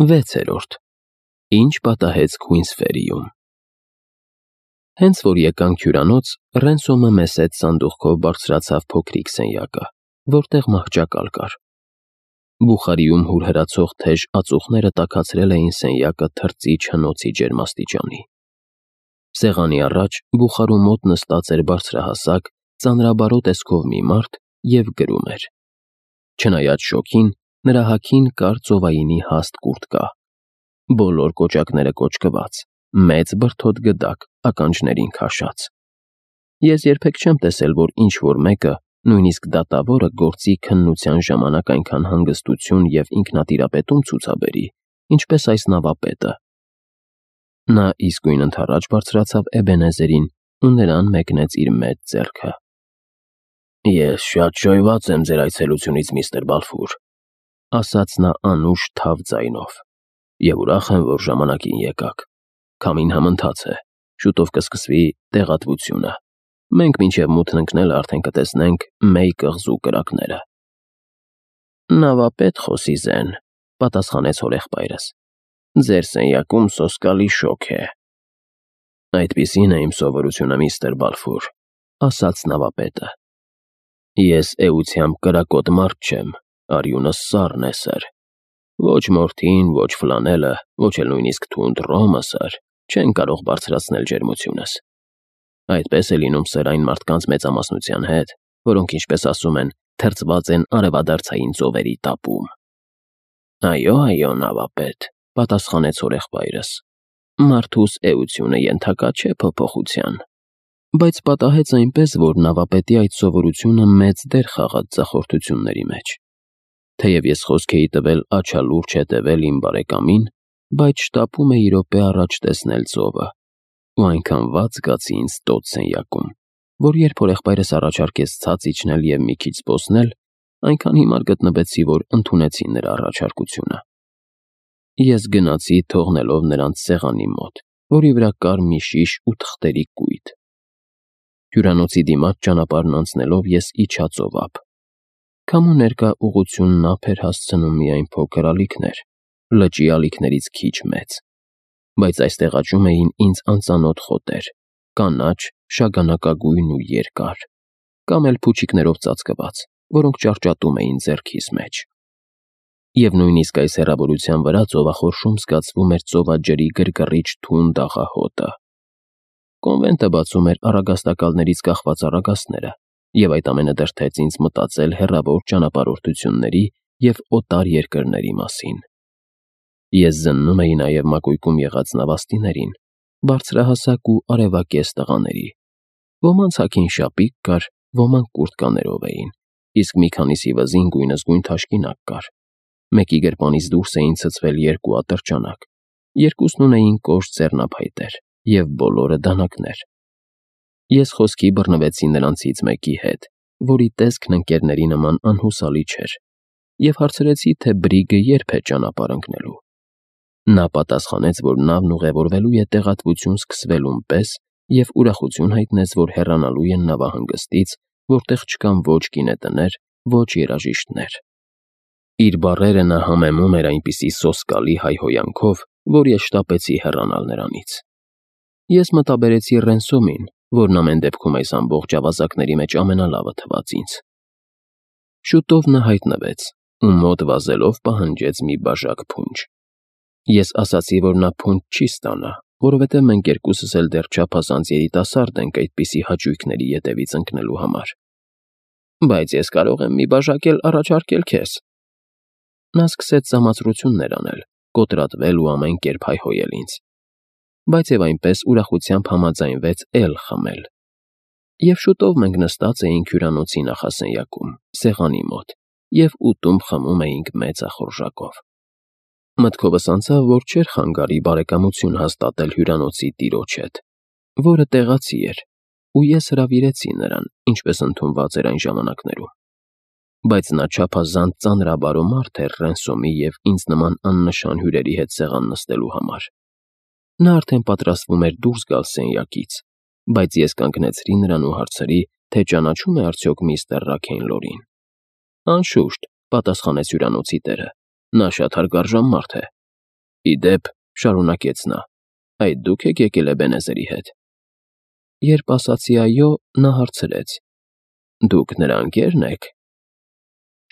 6. Ինչ պատահեց Քուինսֆերիում։ Հենց որ եկանք հյուրանոց, Ռենսոմը մեզ հետ սանդուղքով բարձրացավ փոքրիկ սենյակը, որտեղ մահճակալ կար։ Բուխարիում հուրհրացող թեժ ածուխները տաքացրել էին սենյակը թրծիչ հնոցի ջերմաստիճանի։ Սեղանի առաջ բուխարու մոտ նստած էր բարձրահասակ, ծանրաբարո տեսքով մի մարդ և գրում էր։ Չնայած շոգին, նրա հագին կար ծովայինի հաստ կուրտկա, բոլոր կոճակները կոճկված, մեծ բրդոտ գդակ, ականջներին քաշած։ Ես երբեք չեմ տեսել, որ ինչ-որ մեկը, նույնիսկ դատավորը, գործի քննության ժամանակ այնքան հանգստություն և ինքնատիրապետում ցուցաբերի, ինչպես այս նավապետը։ Նա իսկույն ընդառաջ բարձրացավ Էբենեզերին ու նրան մեկնեց իր մեծ ձեռքը։ «Ես շատ շոյված եմ ձեր այցելությունից, միստր Բալֆուր», ասաց նա անուշ թավ ձայնով, «և ուրախ եմ, որ ժամանակին եկաք։ Քամին համընթաց է, շուտով կսկսվի տեղատվությունը։ Մենք մինչև մութն ընկնելը արդեն կտեսնենք Մեյ կղզու կրակները»։ «Նավապետ խոսի զեն», պատասխանեց հորեղբայրս, «ձեր սենյակում սոսկալի շոգ է»։ «Այդպիսին է իմ սովորությունը, միստր Բալֆուր», ասաց նավապետը։ «Ես էությամբ կրակոտ մարդ չեմ, արյունս սառն է, սըր։ Ոչ մորթին, ոչ ֆլանելը, ոչ էլ նույնիսկ թունդ ռոմը, սըր, չեն կարող բարձրացնել ջերմությունս։ Այդպես է լինում, սըր, այն մարդկանց մեծամասնության հետ, որոնք, ինչպես ասում են, թրջված են արևադարձային ծովերի տապում»։ «Այո, նավապետ», պատասխանեց հորեղբայրս, «մարդուս էությունը ենթակա չէ փոփոխության»։ Բայց պատահեց այնպես, որ նավապետի այդ սովորությունը մեծ դեր խաղաց ձախորդությունների մեջ։ Թեև ես խոսք էի տվել աչալուրջ հետևել իմ բարեկամին, բայց շտապում էի րոպե առաջ տեսնել ծովը, ու այնքան վատ զգացի ինձ տոց սենյակում, որ երբ հորեղբայրս առաջարկեց ցած իջնել և մի քիչ զբոսնել, այնքան հիմար գտնվեցի, որ ընդունեցի նրա առաջարկությունը։ Ես գնացի, թողնելով նրանց սեղանի մոտ, որի վրա կար մի շիշ ու թղթերի կույտ։ Հյուրանոցի դիմաց ճանապարհն անցնելով ես իջա ծով ափ։ Քամու ներկա ուղղությունն ափ էր հասցնում միայն փոքր ալիքներ, լճի ալիքներից քիչ մեծ, բայց այստեղ աճում էին ինձ անծանոթ խոտեր, կանաչ, շագանակագույն ու երկար, կամ էլ փուչիկներով ծածկված, որոնք ճարճատում էին ձեռքիս մեջ։ Եվ նույնիսկ այս հեռավորության վրա ծովախորշում զգացվում էր ծովաջրի գրգռիչ թունդ աղահոտը։ Կոնվենտը բացում էր առագաստակալներից կախված առագաստները, և այդ ամենը դրդեց ինձ մտածել հեռավոր ճանապարհորդությունների և օտար երկրների մասին։ Ես զննում էի նաև մակույկում եղած նավաստիներին, բարձրահասակ ու արևակեզ տղաների։ Ոմանց հագին շապիկ կար, ոմանք կուրտկաներով էին, իսկ մի քանիսի վզին գույնզգույն թաշկինակ կար։ Մեկի գրպանից դուրս էին ցցվել երկու ատրճանակ, երկուսն ունեին կոշտ ձեռնափայտեր և բոլորը դանակներ։ Ես խոսքի բռնվեցի նրանցից մեկի հետ, որի տեսքն ընկերների նման անհուսալի չէր, և հարցրեցի, թե բրիգը երբ է ճանապարհ ընկնելու։ Նա պատասխանեց, որ նավն ուղևորվելու է տեղատվություն սկսվելուն պես և ուրախություն հայտնեց, որ հեռանալու են նավահանգստից, որտեղ չկան ոչ գինետներ, ոչ երաժիշտներ։ Իր բառերը նա համեմում էր այնպիսի սոսկալի հայհոյանքով, որ ես շտապեցի հեռանալ նրանից։ Ես մտաբերեցի Ռենսոմին, որն ամեն դեպքում այս ամբողջ ավազակների մեջ ամենալավը թվաց ինձ։ Շուտով նա հայտնվեց ու մոտ վազելով պահանջեց մի բաժակ փունջ։ Ես ասացի, որ նա փունջ չի ստանա, որովհետև մենք երկուսս էլ դեռ չափազանց երիտասարդ ենք այդպիսի հաճույքների ետևից ընկնելու համար։ «Բայց ես կարող եմ մի բաժակ էլ առաջարկել քեզ»։ Նա սկսեց սամացրություններ անել, կոտրատվել ու ամեն կերպ հայհոյել ինձ, բայց և այնպես ուրախությամբ համաձայնվեց էլ խմել։ Եվ շուտով մենք նստած էինք հյուրանոցի նախասենյակում, սեղանի մոտ, և ուտում խմում էինք մեծախորժակով։ Մտքովս անցավ, որ չէր խանգարի բարեկամություն հաստատել հյուրանոցի տիրոջ հետ, որը տեղացի էր, ու ես հրավիրեցի նրան, ինչպես ընդունված էր այն ժամանակներում։ Բայց նա չափազանց ծանրաբարո մարդ էր Ռենսոմի և ինձ նման աննշան հյուրերի հետ սեղան նստելու համար։ Նա արդեն պատրաստվում էր դուրս գալ սենյակից, բայց ես կանգնեցրի նրան ու հարցրի, թե ճանաչում է արդյոք միստր Ռաքեյնլորին։ «Անշուշտ», պատասխանեց հյուրանոցի տերը, «նա շատ հարգարժան մարդ է»։ Ի դեպ, շարունակեց նա, այդ դուք եք եկել Էբենեզերի հետ։ Երբ ասացի այո, նա հարցրեց. Դուք նրա ընկե՞ರն եք։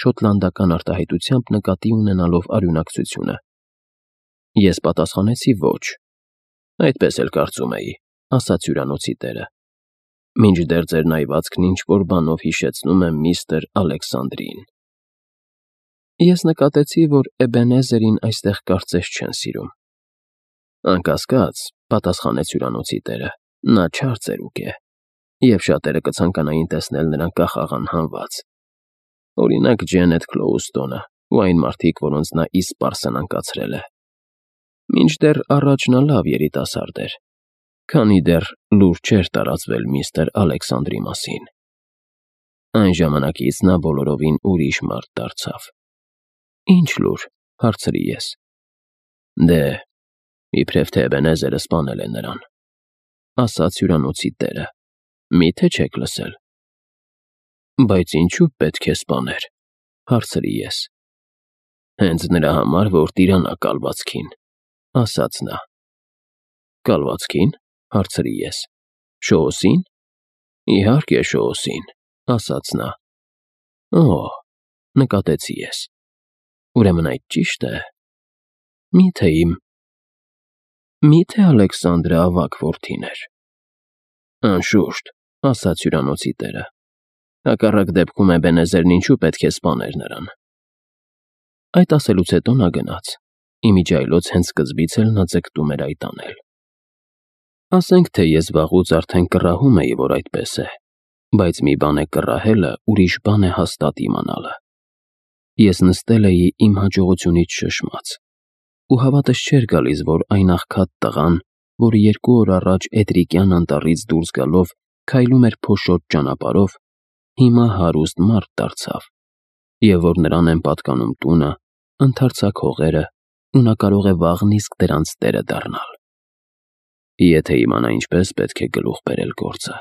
Շոտլանդական արտահայտությամբ նկատի ունենալով արյունակցությունը։ Ես պատասխանեցի ոչ։ Այդպես էլ կարծում էի, ասաց հյուրանոցի տերը։ Մինչդեռ ձեր նայվածքն ինչ-որ բանով հիշեցնում է միստր Ալեքսանդրին։ Ես նկատեցի, որ Էբենեզերին այստեղ կարծես չեն սիրում։ Անկասկած, պատասխանեց հյուրանոցի տերը, նա չար ծերուկ է, և շատերը կցանկանային տեսնել նրան կախաղան հանված։ Օրինակ Ջենեթ Քլոուստոնը ու այն մարդիկ, որոնց նա իսպառ սնանկացրել է։ Մինչդեռ առաջ նա լավ երիտասարդ էր, քանի դեռ լուր չէր տարածվել միստր Ալեքսանդրի մասին։ Այն ժամանակից նա բոլորովին ուրիշ մարդ դարձավ։ Ինչ լուր, հարցրի ես։ Դե, իբրև թե Էբենեզերը սպանել է նրան, ասաց հյուրանոցի տերը, միթե չեք լսել։ Բայց ինչու պետք է սպաներ, հարցրի ես։ Հենց նրա համար, որ տիրանա կալվածքին, ասաց նա։ Կալվածքին, հարցրի ես։ Շոուսին։ Իհարկե Շոուսին, ասաց նա։ Օ, նկատեցի ես։ Ուրեմն այդ ճիշտ է։ Միթե Միթե Ալեքսանդրը ավագ որդին էր։ Անշուշտ, ասաց հյուրանոցի տերը։ Հակառակ դեպքում Էբենեզերն ինչու պետք է սպաներ նրան։ Այդ ասելուց հետո նա գնաց։ Իմիջիայլոց հենց սկզբից էլ նա ձգտում էր այդ անել։ Ասենք թե ես վաղուց արդեն կռահում էի, որ այդպես է, բայց մի բան է կռահելը, ուրիշ բան է հաստատ իմանալը։ Ես նստել էի իմ հաջողությունից շշմած, ու հավատս չէր գալիս, որ այն աղքատ տղան, որը 2 օր առաջ Էտրիկյան անտառից դուրս գալով քայլում էր փոշոտ ճանապարհով, հիմա հարուստ մարդ դարձավ, և որ նրան են պատկանում տունը, ընդարձակ հողերը, ու նա կարող է վաղն իսկ դրանց տերը դառնալ։ Եթե իմանա ինչպես պետք է գլուխ բերել գործը։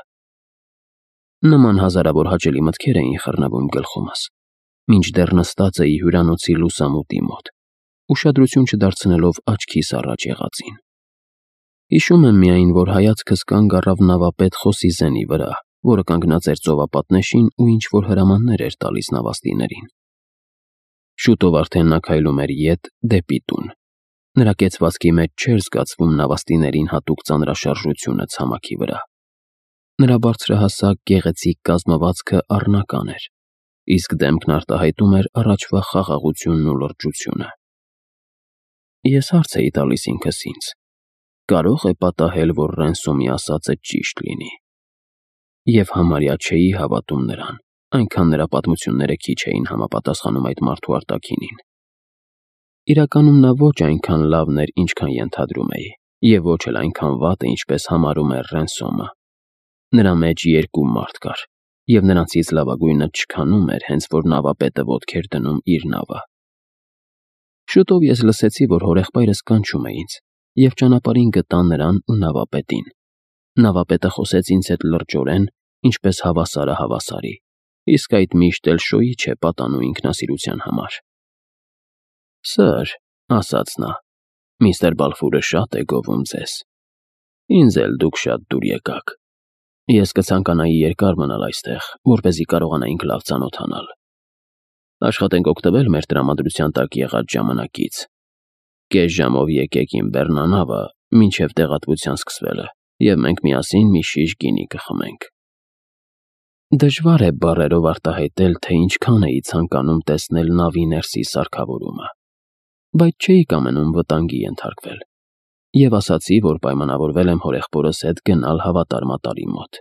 Նման հազարավոր հաճելի մտքեր էին խռնվում գլխումս, մինչդեռ նստած էի հյուրանոցի լուսամուտի մոտ, ուշադրություն չդարձնելով աչքիս առաջ եղածին։ Հիշում եմ միայն, որ հայացքս կանգ առավ նավապետ Խոսիզենի վրա, որը կանգնած էր ծովապատնեշին ու ինչ-որ հրամաններ էր տալիս նավաստիներին։ Շուտով արդեն նա քայլում էր ետ դեպի տուն։ Նրա կեցվածքի մեջ չէր զգացվում նավաստիներին հատուկ ծանրաշարժությունը ցամաքի վրա։ Նրա բարձրահասակ գեղեցիկ կազմվածքը առնական էր, իսկ դեմքն արտահայտում էր առաջվա խաղաղությունն ու լրջությունը։ Ես հարց էի տալիս ինքս ինձ. կարող է պատահել, որ Ռենսոմի ասածը ճիշտ լինի։ Եվ համարյա չէի հավատում նրան, այնքան նրա պատմությունները քիչ էին համապատասխանում այդ մարդու արտաքինին։ Իրականում նա ոչ այնքան լավն էր, ինչքան ենթադրում էի, և ոչ էլ այնքան վատը, ինչպես համարում էր Ռենսոմը։ Նրա մեջ 2 մարդ կար, և նրանցից լավագույնը չքանում էր, հենց որ նավապետը ոտք էր դնում իր նավը։ Շուտով ես լսեցի, որ հորեղբայրս կանչում է ինձ, և ճանապարհին գտա նրան ու նավապետին։ Նավապետը խոսեց ինձ հետ լրջորեն, ինչպես հավասարը հավասարի, իսկ այդ միշտ էլ շոյի չէ պատանու ինքնասիրության համար։ Սըր, ասաց նա, միստր Բալֆուրը շատ է գովում ձեզ։ Ինձ էլ դուք շատ դուր եկաք։ Ես կցանկանայի երկար մնալ այստեղ, որպեսզի կարողանայինք լավ ծանոթանալ։ Աշխատենք օգտվել մեր տրամադրության տակ եղած ժամանակից։ Կես ժամով եկեք իմ բեռնանավը, մինչև տեղատվության սկսվելը, և մենք միասին մի շիշ գինի կխմենք։ Դժվար է բառերով արտահայտել, թե ինչքան էի ցանկանում տեսնել նավի ներսի սարքավորումը, բայց չէի կամենում վտանգի ենթարկվել, և ասացի, որ պայմանավորվել եմ հորեղբորս հետ գնալ հավատարմատարի մոտ։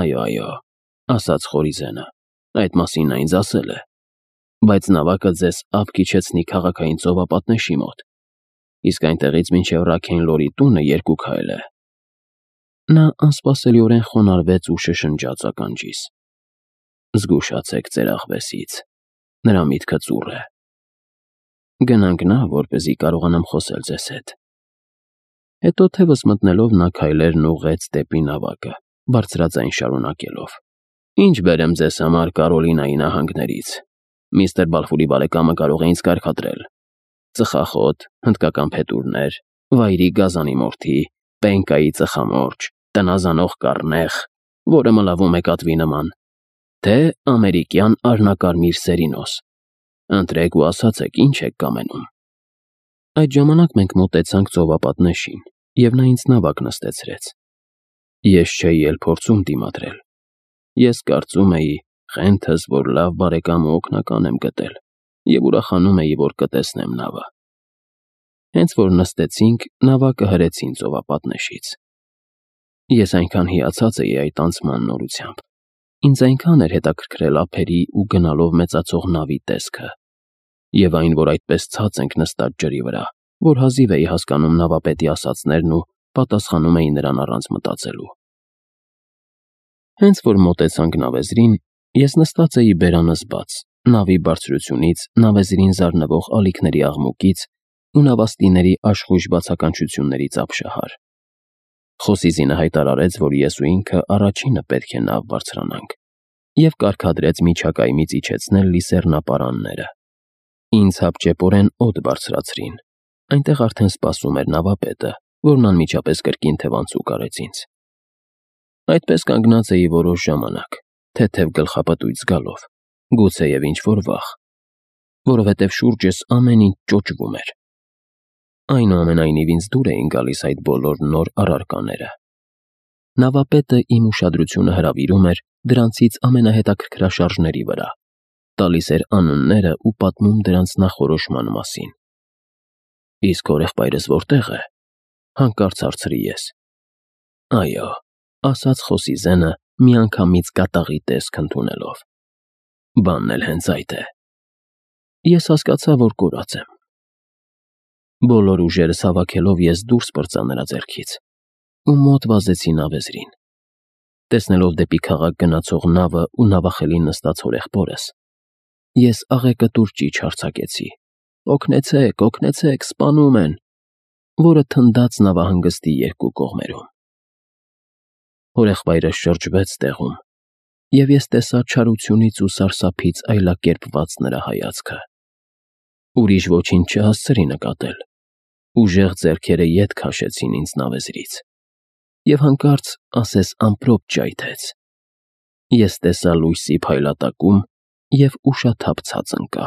Այո, ասաց Խորիզենը, այդ մասին նա ինձ ասել է, բայց նավակը ձեզ ափ կիջեցնի քաղաքային ծովապատնեշի մոտ, իսկ այնտեղից մինչև Ռաքենլորի տունը 2 քայլ է։ Նա անսպասելիորեն խոնարհվեց ու շշնջաց ականջիս. Զգուշացեք ձեր աղվեսից, նրա միտքը ծուռ է։ Գնանք նա, որպեսզի կարողանամ խոսել ձեզ հետ։ Հետո թևս մտնելով նա քայլերն ուղղեց դեպի նավակը, բարձրաձայն շարունակելով. Ինչ բերեմ ձեզ համար Կարոլինայի նահանգներից։ Միստր Բալֆուրի բարեկամը կարող է ինձ կարգադրել։ ծխախոտ, հնդկական փետուրներ, վայրի գազանի մորթի, պենկայի ծխամորճ, տնազանող կառնեխ, որը մլավում է կատվի նման, թե ամերիկյան արնակարմիր սերինոս։ Ընտրեք ու ասացեք, ինչ եք կամենում։ Այդ ժամանակ մենք մոտեցանք ծովապատնեշին, և նա ինձ նավակ նստեցրեց։ Ես չէի էլ փորձում դիմադրել։ Ես կարծում էի խենթս, որ լավ բարեկամ ու օգնական եմ գտել, և ուրախանում էի, որ կտեսնեմ նավը։ Հենց որ նստեցինք, նավակը հրեցին ծովապատնեշից։ Ես այնքան հիացած էի այդ անցման նորությամբ։ Ինձ այնքան էր հետաքրքրել ափերի ու գնալով մեծացող նավի տեսքը։ Եվ այն, որ այդպես ցած ենք նստած ջրի վրա, որ հազիվ էի հասկանում նավապետի ասածներն ու պատասխանում էի նրան առանց մտածելու։ Հենց որ մոտեցանք նավեզրին, ես նստած էի բերանս բաց, նավի բարձրությունից, նավեզրին զարնվող ալիքների աղմուկից ու նավաստիների աշխույժ բացականչություններից ապշահար։ Խոսիզինը հայտարարեց, որ ես ու ինքը առաջինը պետք է նավ բարձրանանք, և կարգադրեց միջակայմից իջեցնել լիսեռնապարանները։ Ինձ հապճեպորեն օդ բարձրացրին։ Այնտեղ արդեն սպասում էր նավապետը, որն անմիջապես կրկին թևանցուկ արեց ինձ։ Այդպես կանգնած էի որոշ ժամանակ, թեթև գլխապտույտ զգալով, գուցեև ինչ-որ վախ, որովհետև շուրջս ամեն ինչ ճոճվում էր։ Այնուամենայնիվ ինձ դուր էին գալիս այդ բոլոր նոր առարկաները։ Նավապետը իմ ուշադրությունը հրավիրում էր դրանցից ամենահետաքրքրաշարժների վրա, տալիս էր անունները ու պատմում դրանց նախորոշման մասին։ Իսկ հորեղբայրս որտե՞ղ է, հանկարծ հարցրի ես։ Այո, ասաց Խոսիզենը միանգամից կատաղի տեսք ընդունելով։ Բանն էլ հենց այդ է։ Ես հասկացա, որ կորած եմ։ Բոլոր ուժերս հավաքելով ես դուրս պրծա նրա ձեռքից ու մոտ վազեցի նավեզրին։ Տեսնելով դեպի քաղաք գնացող նավը ու նավախելին նստած հորեղբորս, ես աղեկտուր ճիչ արձակեցի. «Օգնեցեք, օգնեցեք, սպանում են», որը թնդաց նավահանգստի երկու կողմերում։ Հորեղբայրս շրջվեց տեղում, և ես տեսա չարությունից ու սարսափից այլակերպված նրա հայացքը։ Ուրիշ ոչինչ չհասցրի նկատել։ Ուժեղ ձեռքերը ետ քաշեցին ինձ նավեզրից, և հանկարծ ասես ամպրոպ ճայթեց։ Ես տեսա լույսի փայլատակում և ուշաթափ ցած ընկա։